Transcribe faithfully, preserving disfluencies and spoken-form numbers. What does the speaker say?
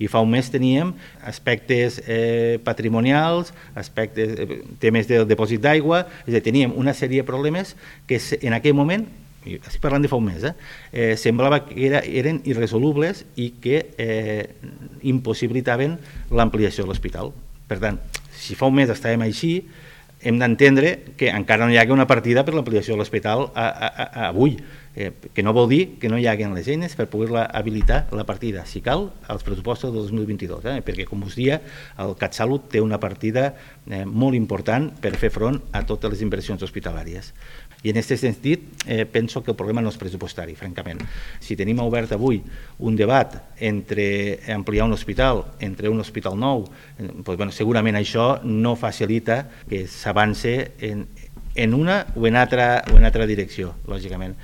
I fa un mes teníem aspectes eh, patrimonials, aspectes, eh, temes del depòsit d'aigua, és a dir, teníem una sèrie de problemes que en aquell moment, estic parlant de fa un mes, eh, eh, semblava que era, eren irresolubles i que eh, impossibilitaven l'ampliació de l'hospital. Per tant, si fa un mes estàvem així, hem d'entendre que encara no hi hagi una partida per l'ampliació de l'hospital avui, eh, que no vol dir que no hi hagin les eines per poder-la habilitar la partida, si cal, als pressupostos del dos mil vint-i-dos, eh, perquè, com us dia, el CatSalut té una partida eh, molt important per fer front a totes les inversions hospitalàries. I en aquest sentit, eh, penso que el problema no és pressupostari, francament. Si tenim obert avui un debat entre ampliar un hospital, entre un hospital nou, eh, doncs, bueno, segurament això no facilita que s'avance en, en una o en altra, o en altra direcció, lògicament.